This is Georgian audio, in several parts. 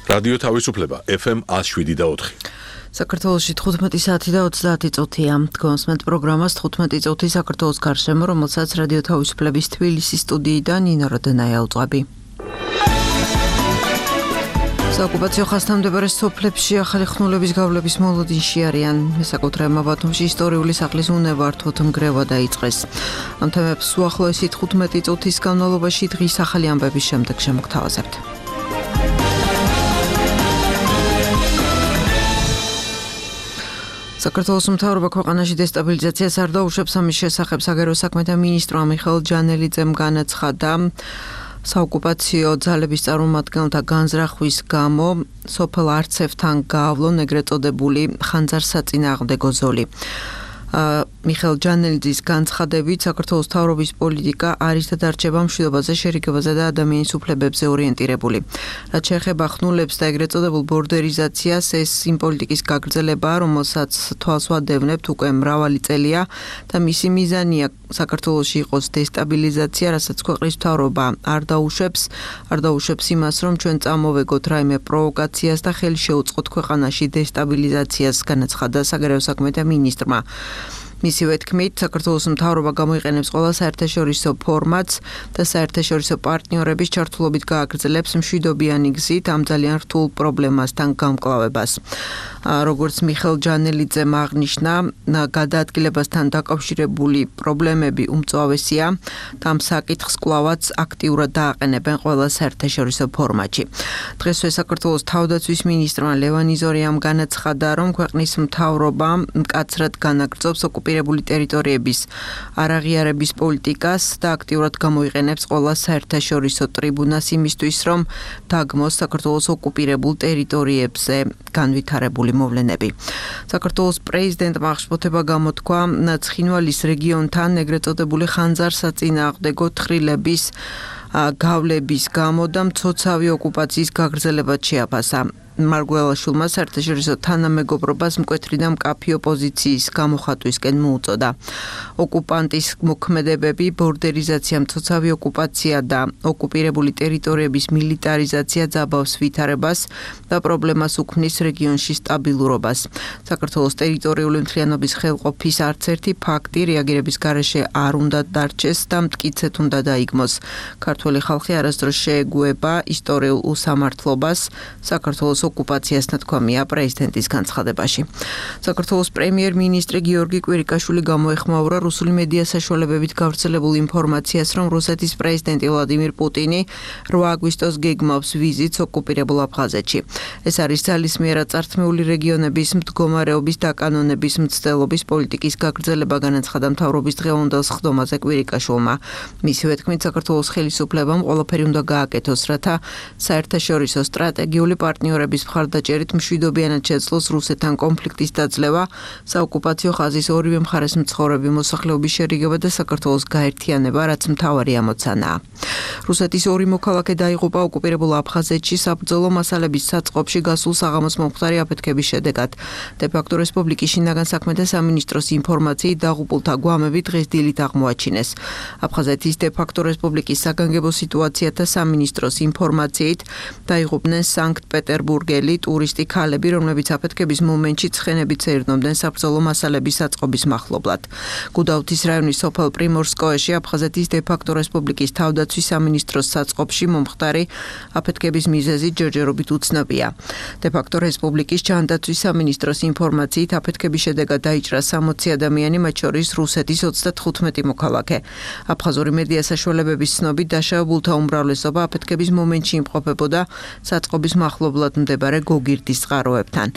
რადიო თავისუფლება FM 107.4. საქართველოში 15 საათი და 30 წუთია. გონსმენთ პროგრამას 15 წუთი საქართველოს გარშემო, რომელსაც რადიო თავისუფლების თბილისის სტუდიიდან ნინო როდენაია უძღვები. საოკუპაციო ხაზთან მდებარე სოფლებში ახალი ხსნულების გავლების მოლოდინში არიან. მესაკუთრებმა ბათუმში ისტორიული სახლის უნებართვოდ ნგრევა დაიწყეს. ამ თემებს უახლოესი 15 წუთის განმავლობაში დღის ახალი ამბების შემდეგ შემოგთავაზებთ. საქართველოს მთავრობა ქვეყანაში დესტაბილიზაციას არ დაუშვებს. ამის შესახებ საგარეო საქმეთა მინისტრმა მიხეილ ჯანელიძემ განაცხადა. საოკუპაციო ძალების წარმომადგენელთა განზრახვის გამო სოფელ არცევთან გაავლონ ეგრეთ წოდებული ხანძარსაწინააღმდეგო ზოლი. მიხეილ ჯანელიძის განცხადებით საქართველოს მთავრობის პოლიტიკა არის და დარჩება მშვიდობაზე, შერიგებაზე და ადამიანის უფლებებზე ორიენტირებული. რაც შეეხება ხსნულებს და ეგრეთ წოდებულ ბორდერიზაციას, ეს იმ პოლიტიკის გაგრძელებაა, რომელსაც თვალს ვადევნებთ უკვე მრავალი წელია და მისი მიზანია საქართველოში იყოს დესტაბილიზაცია, რასაც ქვეყნის მთავრობა არ დაუშვებს იმას, რომ ჩვენ წამოვეგოთ რაიმე პროვოკაციას და ხელი შეუწყოთ ქვეყანაში დესტაბილიზაციას, განაცხადა საგარეო საქმეთა მინისტრმა. მისივე თქმით, საქართველოს მთავრობა გამოიყენებს ყველა საერთაშორისო ფორმატს და საერთაშორისო პარტნიორების ჩართულობით გააგრძელებს მშვიდობიანი გზით ამ ძალიან რთულ პრობლემასთან გამკლავებას. როგორც მიხეილ ჯანელიძემ აღნიშნა, გადაადგილებასთან დაკავშირებული პრობლემები უმწვავესია და ამ საკითხს კვლავაც აქტიურად დააყენებენ ყველა საერთაშორისო ფორმატში. დღესვე საქართველოს თავდაცვის მინისტრმა ლევან იზორიამ განაცხადა, რომ ქვეყნის მთავრობა მკაცრად განაგრძობს ოკუპირებული ტერიტორიების არაღიარების პოლიტიკას და აქტიურად გამოიყენებს ყველა საერთაშორისო ტრიბუნას იმისთვის, რომ დაგმოს საქართველოს ოკუპირებულ ტერიტორიებზე განვითარებული მოვლენები. საქართველოს პრეზიდენტმა აღშფოთება გამოთქვა ცხინვალის რეგიონთან ეგრეთ წოდებული ხანძარსაწინააღმდეგო თხრილების გავლების გამო და მცოცავი ოკუპაციის გაგრძელებაც შეაფასა. მარგველაშვილმა საერთაშორისო თანამეგობრობას მკვეთრი და მკაფიო პოზიციის გამოხატვისკენ მოუწოდა. ოკუპანტის მოქმედებები, ბორდერიზაცია, მცოცავი ოკუპაცია და ოკუპირებული ტერიტორიების მილიტარიზაცია ძაბავს ვითარებას და პრობლემას უქმნის რეგიონში სტაბილურობას. საქართველოს ტერიტორიული მთლიანობის ხელყოფის არც ერთი ფაქტი რეაგირების გარეშე არ უნდა დარჩეს და მტკიცედ უნდა დაიგმოს. ქართველი ხალხი არასდროს შეეგუება ისტორიულ უსამართლობას საქართველოს ოკუპაციას ნათქვამია პრეზიდენტის განცხადებაში. საქართველოს პრემიერ-მინისტრი გიორგი კვირიკაშვილი გამოეხმაურა რუსული მედია საშუალებებით გავრცელებულ ინფორმაციას, რომ რუსეთის პრეზიდენტი ვლადიმირ პუტინი 8 აგვისტოს გეგმავს ვიზიტს ოკუპირებულ აფხაზეთში. ეს არის ძალისმიერად წართმეული რეგიონების მდგომარეობის დაკანონების მცდელობის პოლიტიკის გაგრძელება, განაცხადა მთავრობის დღევანდელ სხდომაზე კვირიკაშვილმა. მისივე თქმით, საქართველოს ხელისუფლებამ ყველაფერი უნდა გააკეთოს, რათა საერთაშორისო სტრატეგიული პარტნიორების მხარდაჭერით მშვიდობიანად შეძლოს რუსეთთან კონფლიქტის დაძლევა, საოკუპაციო ხაზის ორივე მხარეს მცხოვრები მოსახლეობის შერიგება და საქართველოს გაერთიანება, რაც მთავარი ამოცანაა. რუსეთის 2 მოქალაქე დაიღუპა ოკუპირებულ აფხაზეთში საბრძოლო მასალების საწყობში გასულ საღამოს მომხდარი აფეთქების შედეგად. დე-ფაქტო რესპუბლიკის შინაგან საქმეთა სამინისტროს ინფორმაციით დაღუპულთა გვამები დღეს დილით აღმოაჩინეს. აფხაზეთის დე-ფაქტო რესპუბლიკის საგანგებო სიტუაციათა სამინისტროს ინფორმაციით დაიღუპნენ სანქტ-პეტერბურგელი ტურისტი ქალები, რომლებიც აფეთქების მომენტში ცხენებით ეირნობდნენ საბრძოლო მასალების საწყობის მახლობლად. გუდაუთის რაიონის სოფელ პრიმორსკოეში აფხაზეთის დე-ფაქტო რესპუბლიკის თავდაცვის სამინისტროს საწყობში მომხდარი აფეთქების მიზეზი ჯერჯერობით უცნობია. დე-ფაქტო რესპუბლიკის ჯანდაცვის სამინისტროს ინფორმაციით აფეთქების შედეგად დაიჭრა 60 ადამიანი, მათ შორის რუსეთის 35 მოქალაქე. აფხაზური მედია საშუალებების ცნობით დაშავებულთა უმრავლესობა აფეთქების მომენტში იმყოფებოდა საწყობის მახლობლად მდებარე გოგირდის წყაროებთან.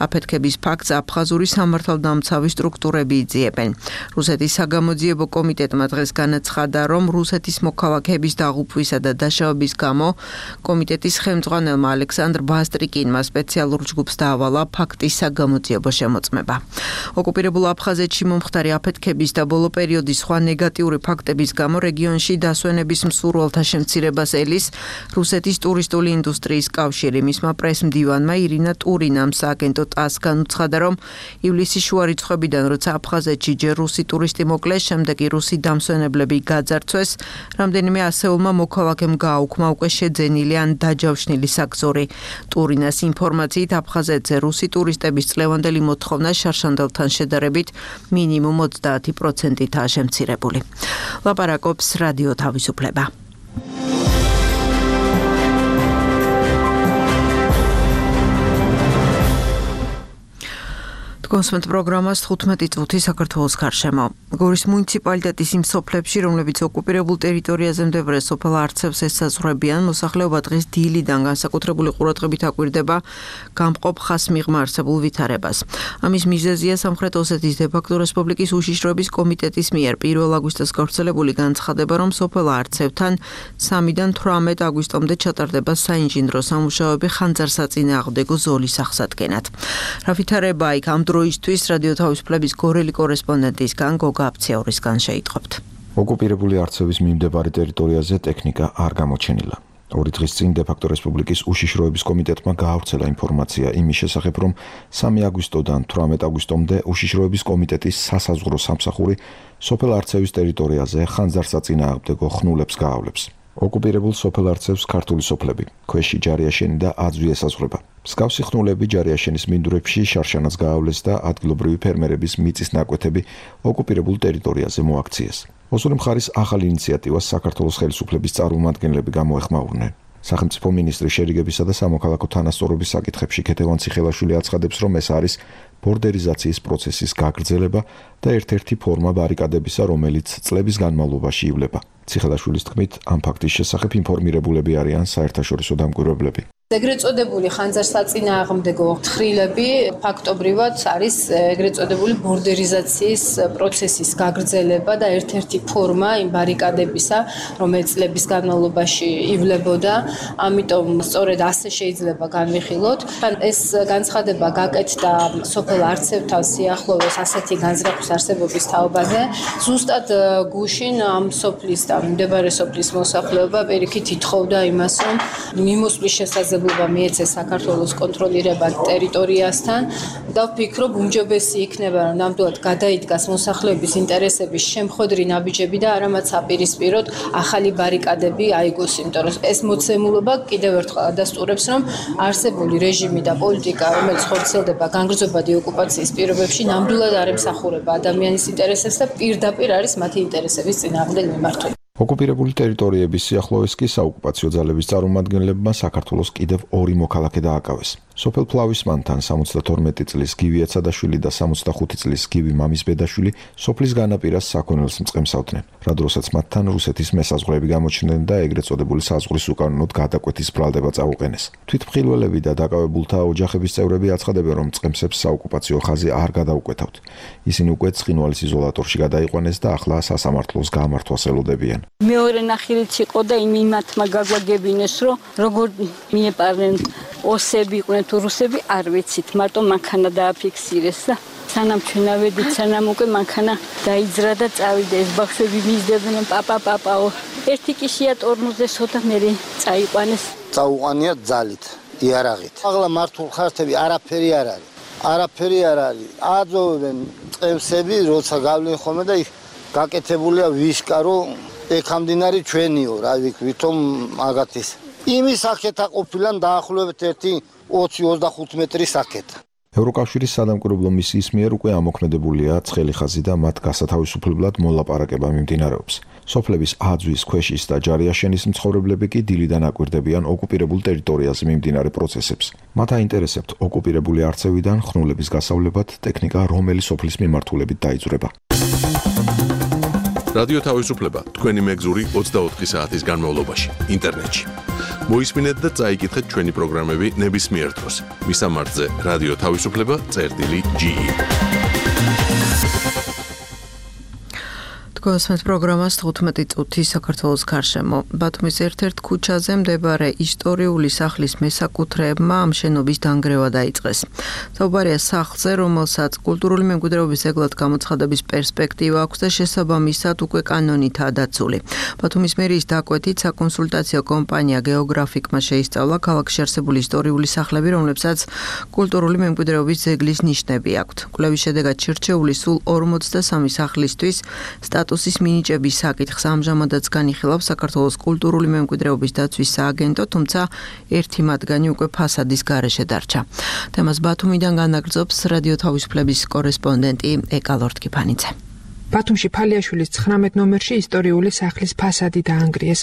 აფეთქების ფაქტს აფხაზური სამართალდამცავი სტრუქტურები იძიებენ. რუსეთის საგამოძიებო კომიტეტმა დღეს განაცხადა, რომ რუსეთის მოქალაქეების დაღუპვისა და დაშავების გამო კომიტეტის ხელმძღვანელმა ალექსანდრ ბასტრიკინმა სპეციალურ ჯგუფს დაავალა ფაქტის საგამოძიებო შემოწმება. ოკუპირებულ აფხაზეთში მომხდარი აფეთქების და ბოლო პერიოდის სხვა ნეგატიური ფაქტების გამო რეგიონში დასვენების მსურველთა შემცირებას ელის რუსეთის ტურისტული ინდუსტრიის კავშირი. მისმა პრესმ მდივანმა ირინა ტურინამ სააგენტო TASS განუცხადა, რომ ივლისის შუა რიცხვებიდან, როცა აფხაზეთში ჯერ რუსი ტურისტი მოკლეს, შემდეგ კი რუსი დამსვენებლები გაძარცვეს, რამდენიმე ასეულმა მოქალაქემ გააუქმა უკვე შეძენილი ან დაჯავშნილი საგზური. ტურინას ინფორმაციით აფხაზეთზე რუსი ტურისტების წლევანდელი მოთხოვნა შარშანდელთან შედარებით მინიმუმ 30%-ითაა შემცირებული. ლაპარაკობს რადიო თავისუფლება. კონსმენტ პროგრამას 15 წუთი საქართველოს გარშემო. გორის მუნიციპალიტეტის იმ სოფლებში, რომლებიც ოკუპირებულ ტერიტორიაზე მდებარე სოფელ არცევს ესაზღვრებიან, მოსახლეობა დღეს დილიდან განსაკუთრებული ყურადღებით აკვირდება გამყოფ ხაზმიღმა არსებულ ვითარებას. ამის მიზეზია სამხრეთ ოსეთის დე-ფაქტო რესპუბლიკის უშიშროების კომიტეტის მიერ 1 აგვისტოს გავრცელებული განცხადება, რომ სოფელ არცევთან 3-დან 18 აგვისტომდე ჩატარდება საინჟინრო სამუშაოები ხანძარსაწინააღმდეგო ზოლის აღსადგენად. რა ვითარება იქ ამ დროისთვის რადიო თავისუფლების გორელი კორესპონდენტისგან გოგა აფციაურისგან შეიტყობთ. ოკუპირებული არცევის მიმდებარე ტერიტორიაზე ტექნიკა არ გამოჩენილა. 2 დღის წინ დე-ფაქტო რესპუბლიკის უშიშროების კომიტეტმა გაავრცელა ინფორმაცია იმის შესახებ, რომ 3 აგვისტოდან 18 აგვისტომდე უშიშროების კომიტეტის სასაზღვრო სამსახური სოფელ არცევის ტერიტორიაზე ხანძარსაწინააღმდეგო ხნულებს გაავლებს. ოკუპირებულ სოფელ არცევს ქართული სოფლები, ქვეში ჯარიაშენი და აძვი ესაზღვრება. მსგავსი ხნულები ჯარიაშენის მინდვრებში შარშანას გაავლეს და ადგილობრივი ფერმერების მიწის ნაკვეთები ოკუპირებულ ტერიტორიაზე მოაქციეს. ოსური მხარის ახალ ინიციატივას საქართველოს ხელისუფლების წარმომადგენლები გამოეხმაურნენ. სახელმწიფო მინისტრი შერიგებისა და სამოქალაქო თანასწორობის საკითხებში ქეთევან ციხელაშვილი აცხადებს, რომ ეს არის ბორდერიზაციის პროცესის გაგრძელება და ერთ-ერთი ფორმა ბარიკადებისა, რომელიც წლების განმავლობაში ივლება. ციხელაშვილის თქმით, ამ ფაქტის შესახებ ინფორმირებულები არიან საერთაშორისო დამკვირვებლები. ეგრეთ წოდებული ხანძარსაწინააღმდეგო თხრილები ფაქტობრივად არის ეგრეთ წოდებული ბორდერიზაციის პროცესის გაგრძელება და ერთ-ერთი ფორმა იმ ბარიკადებისა, რომელიც წლების განმავლობაში ივლებოდა. ამიტომ სწორედ ასე შეიძლება განვიხილოთ. ეს განცხადება გაკეთდა სოფელ არცევთან სიახლოვეს ასეთი განზრახვის არსებობის თაობაზე. ზუსტად გუშინ ამ სოფლის და მდებარე სოფლის მოსახლეობა პირიქით ითხოვდა იმას, რომ მიმოსვლის შესაძლებლობა მიეცეს საქართველოს კონტროლირებად ტერიტორიასთან და ვფიქრობ, უმჯობესი იქნება, რომ ნამდვილად გადაიდგას მოსახლეობის ინტერესების შემხვედრი ნაბიჯები და არამაც აპირისპიროთ ახალი ბარიკადები აიგოს, იმიტომ რომ ეს მოცემულობა კიდევ ერთხელ ადასტურებს, რომ არსებული რეჟიმი და პოლიტიკა, რომელიც ხორციელდება განგრძობადი ოკუპაციის პირობებში, ნამდვილად არ ემსახურება ადამიანის ინტერესებს და პირდაპირ არის მათი ინტერესების წინააღმდეგ მიმართული. ოკუპირებული ტერიტორიების სიახლოვეს კი საოკუპაციო ძალების წარმომადგენლებმა საქართველოს კიდევ 2 მოქალაქე დააკავეს. სოფელ ფლავისმანთან 72 წლის გივი ეცადაშვილი და 65 წლის გივი მამისბედაშვილი სოფლის განაპირას საქონელს მწყემსავდნენ. რა დროსაც მათთან რუსეთის მესაზღვრეები გამოჩნდნენ და ეგრეთ წოდებული საზღვრის უკანონოდ გადაკვეთის ბრალდება წაუყენეს. თვითმხილველები და დაკავებულთა ოჯახების წევრები აცხადებენ, რომ მწყემსებს საოკუპაციო ხაზი არ გადაუკვეთავთ. ისინი უკვე ცხინვალის იზოლატორში გადაიყვანეს და ახლა სასამართლოს გამართვას ელოდებიან. მეორე ნახილიც იყო და იმათმა გაგვაგებინეს, რომ როგორ მიეპარნენ ოსები იყვნენ თუ რუსები, არ ვიცით, მარტო მანქანა დააფიქსირეს და სანამ ჩვენ ავედით, სანამ უკვე მანქანა დაიძრა და წავიდა, ეს ბავშვები მისდებდნენ პაპაო. ერთი კი შეატორმოზე სოთა მე წაიყვანეს. წაუყანია ძალით, იარაღით. ახლა მართულ ხარჯები არაფერი არ არის. არაფერი არ არის. აძოვებენ წემსები, როცა გავლენ ხოლმე და გაკეთებულია ვიშკა, რომ ეკამდინარი ჩვენიო, რა ვითომ მაგათის. იმის აქეთა ყოფილან დაახლოებით 20-25 მეტრის აქეთა. ევროკავშირის სადამკვირვებლო მისიის მიერ უკვე ამოქმედებულია ცხელი ხაზი და მათ გასათავისუფლებლად მოლაპარაკება მიმდინარეობს. სოფლების აძვის, ქვეშის და ჯარიაშენის მცხოვრებლები კი დილიდან აკვირდებიან ოკუპირებულ ტერიტორიაზე მიმდინარე პროცესებს. მათ აინტერესებთ ოკუპირებული არცევიდან ხნულების გასავლებად ტექნიკა რომელი სოფლის მიმართულებით დაიძვრება. რადიო თავისუფლება თქვენი მეგზური 24 საათის განმავლობაში ინტერნეტში. მოისმინეთ და წაიკითხეთ ჩვენი პროგრამები ნებისმიერ დროს. მისამართზე რადიო თავისუფლება წერტილი.ge გასმენთ პროგრამას 15 წუთი საქართველოს გარშემო. ბათუმის ერთ-ერთ ქუჩაზე მდებარე ისტორიული სახლის მესაკუთრეებმა ამ შენობის დანგრევა დაიწყეს. საუბარია სახლზე, რომელსაც კულტურული მემკვიდრეობის ძეგლად გამოცხადების პერსპექტივა აქვს და შესაბამისად უკვე კანონითაა დაცული. ბათუმის მერიის დაკვეთით საკონსულტაციო კომპანია გეოგრაფიკმა შეისწავლა ქალაქში არსებული ისტორიული სახლები, რომლებსაც კულტურული მემკვიდრეობის ძეგლის ნიშნები აქვთ. კვლევის შედეგად შერჩეული სულ 43 სახლისთვის სტატუსის მინიჭების საკითხს ამჟამადაც განიხილავს საქართველოს კულტურული მემკვიდრეობის დაცვის სააგენტო, თუმცა ერთი მათგანი უკვე ფასადის გარეშე დარჩა. თემას ბათუმიდან განაგრძობს რადიო თავისუფლების კორესპონდენტი ეკა ლორთქიფანიძე. ბათუმში ფალიაშვილის 19 ნომერში ისტორიული სახლის ფასადი დაანგრიეს.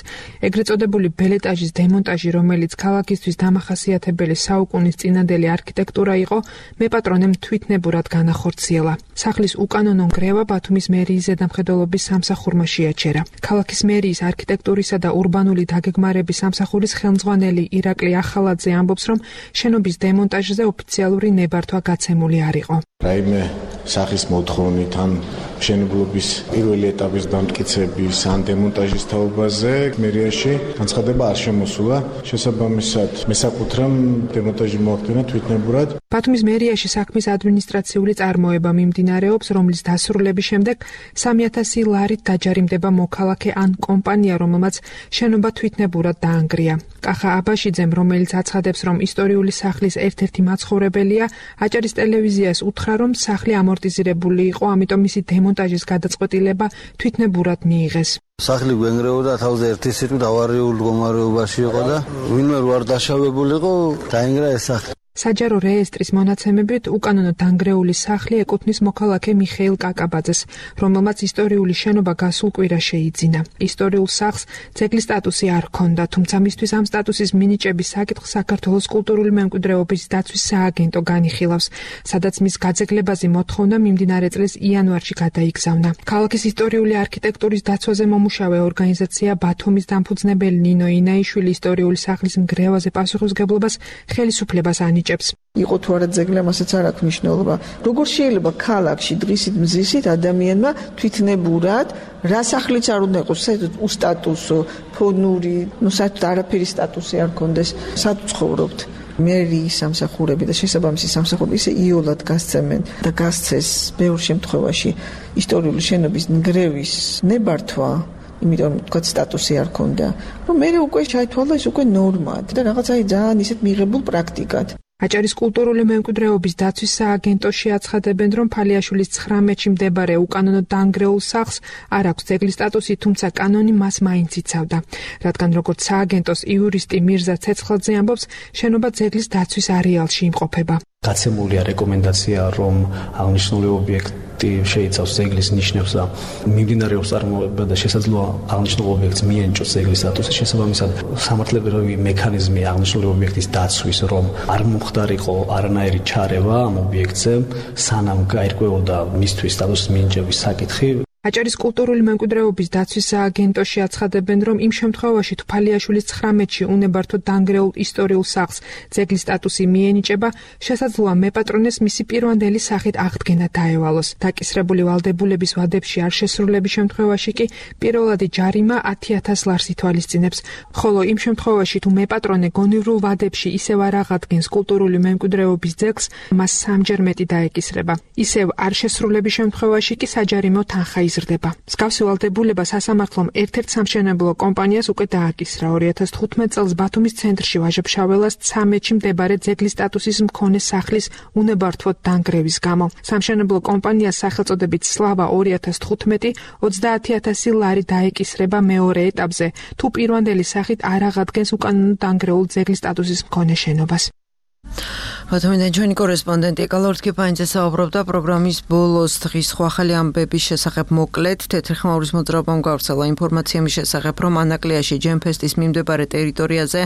ეგრეთ წოდებული ბელეტაჟის დემონტაჟი, რომელიც ქალაქისთვის დამახასიათებელი საუკუნის წინადელი არქიტექტურა იყო, მეპატრონემ თვითნებურად განახორციელა. სახლის უკანონო ნგრევა ბათუმის მერიის ზედამხედველობის სამსახურმა შეაჩერა. ქალაქის მერიის არქიტექტურისა და ურბანული დაგეგმარების სამსახურის ხელმძღვანელი ირაკლი ახალაძე ამბობს, რომ შენობის დემონტაჟზე ოფიციალური ნებართვა გაცემული არ იყო. რაიმე სახის მოთხოვნით ან მშენებლობის პირველი ეტაპის დამტკიცების ან დემონტაჟის თაობაზე მერიაში განცხადება არ შემოსულა. შესაბამისად, მესაკუთრემ დემონტაჟი მოახდინა თვითნებურად. ბათუმის მერიაში საქმის ადმინისტრაციული წარმოება მიმდინარეობს, რომლის დასრულების შემდეგ 3000 ლარით დაჯარიმდება მოქალაქე ან კომპანია, რომელმაც შენობა თვითნებურად დაანგრია. კახა აბაშიძემ, რომელიც აცხადებს, რომ ისტორიული სახლის ერთ-ერთი მაცხოვრებელია, აჭარის ტელევიზიას უთხრა, რომ სახლი ამორტიზირებული იყო, ამიტომ მისი დემონტაჟის გადაწყვეტილება თვითნებურად მიიღეს. სახლი გვენგრეოდა თავზე ერთი სიტყვით ავარიულ მდგომარეობაში იყო და ვინმე არ დაშავებულიყო, დაინგრა ეს სახლი. საჯარო რეესტრის მონაცემებით უკანონო დანგრეული სახლი ეკუთვნის მოქალაქე მიხეილ კაკაბაძეს, რომელმაც ისტორიული შენობა გასულ კვირა შეიძინა. ისტორიულ სახლს ძეგლის სტატუსი არ ჰქონდა, თუმცა მისთვის ამ სტატუსის მინიჭების საკითხს საქართველოს კულტურული მემკვიდრეობის დაცვის სააგენტო განიხილავს, სადაც მის გაძეგლებაზე მოთხოვნა მიმდინარე წლის იანვარში გადაიგზავნა. ქალაქის ისტორიული არქიტექტურის დაცვაზე მომუშავე ორგანიზაცია ბათუმის დამფუძნებელი ნინო ინაიშვილი ისტორიული სახლის ნგრევაზე პასუხისმგებლობას ხელისუფლებას იყო თუ არა ძეგლი, ამასაც არ აქვს მნიშვნელობა. როგორ შეიძლება ქალაქში დღისით მზისით ადამიანმა თვითნებურად რა სახლიც არ უნდა იყოს, საერთოდ უსტატუსო, ფონური, საერთოდ არაფერი სტატუსი არ კონდეს, სად ცხოვრობთ. მერიის სამსახურები და შესაბამისი სამსახურები ისე იოლად გასცემენ და გასცეს ბევრ შემთხვევაში ისტორიული შენობის ნგრევის ნებართვა, იმიტომ თქვა სტატუსი არ ქონდა, რომ მე უკვე ჩაითვალა ეს უკვე ნორმად და რაღაც ძალიან ისეთ მიღებულ პრაქტიკად. აჭარის კულტურული მემკვიდრეობის დაცვის სააგენტოში აცხადებენ, რომ ფალიაშვილის 19-ში მდებარე უკანონო დანგრეულ სახლს არ აქვს ძეგლის სტატუსი, თუმცა კანონი მას მაინც იცავდა. რადგან როგორც სააგენტოს იურისტი მირზა ცეცხლაძე ამბობს, შენობა ძეგლის დაცვის არეალში იმყოფება. გაცემულია რეკომენდაცია, რომ აღნიშნული ობიექტი შეიცავს ძეგლის ნიშნებს და მიმდინარეობს წარმოება და შესაძლოა აღნიშნულ ობიექტს მიენიჭოს ძეგლის სტატუსი. შესაბამისად, სამართლებრივი მექანიზმი აღნიშნული ობიექტის დაცვის, რომ არ მომხდარიყო არანაირი ჩარევა ამ ობიექტზე, სანამ გაირკვეოდა მისთვის სტატუსის მინიჭების საკითხი. აჭარის კულტურული მემკვიდრეობის დაცვის სააგენტოში აცხადებენ, რომ იმ შემთხვევაში თუ ფალიაშვილის 19-ში უნებართო დანგრეულ ისტორიულ სახლს ძეგლის სტატუსი მიენიჭება, შესაძლოა მეპატრონეს მისი პირვანდელი სახით აღდგენა დაევალოს. დაკისრებული ვალდებულების ვადებში არ შესრულების შემთხვევაში კი პირველადი ჯარიმა 10,000 ლარს ითვალისწინებს, ხოლო იმ შემთხვევაში თუ მეპატრონე გონივრულ ვადებში ისევ არ აღადგენს კულტურული მემკვიდრეობის ძეგლს, მას სამჯერ მეტი დაეკისრება. ისევ არ შესრულების შემთხვევაში კი საჯარიმო თანხა იზრდება. მსგავსი ვალდებულება სასამართლომ ერთ-ერთ სამშენებლო კომპანიას უკვე დააკისრა 2015 წელს ბათუმის ცენტრში ვაჟა-ფშაველას 13-ში მდებარე ძეგლის სტატუსის მქონე სახლის უნებართვოდ დანგრევის გამო. სამშენებლო კომპანიას სახელწოდებით სლავა 2015 30,000 ლარი დაეკისრება მეორე ეტაპზე, თუ პირვანდელი სახით არ აღადგენს უკანონო დანგრეულ ძეგლის სტატუსის მქონე შენობას. ბათუმიდან ჩვენი კორესპონდენტი ეკა ლორთქიფანიძე საუბრობდა პროგრამის ბოლოს დღის სხვა ახალი ამბების შესახებ მოკლედ. თეთრი ხმაურის მოძრაობამ გავრცელა ინფორმაცია მის შესახებ, რომ ანაკლიაში ჯემფესტის მიმდებარე ტერიტორიაზე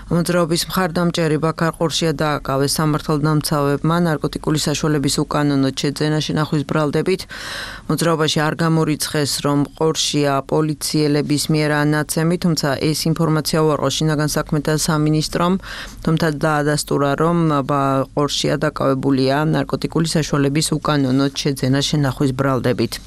მოძრაობის მხარდამჭერი ბაქარ ყორშია დააკავეს სამართალდამცავებმა ნარკოტიკული საშუალების უკანონოდ შეძენა შენახვის ბრალდებით. მოძრაობაში არ გამორიცხეს, რომ ყორშია პოლიციელების მიერ ანაცემი, თუმცა ეს ინფორმაცია უარყო შინაგან საქმეთა სამინისტრომ, თუმცა დაადასტურა, რომ ყორშია დაკავებულია ნარკოტიკული საშუალების უკანონოდ შეძენა შენახვის ბრალდებით.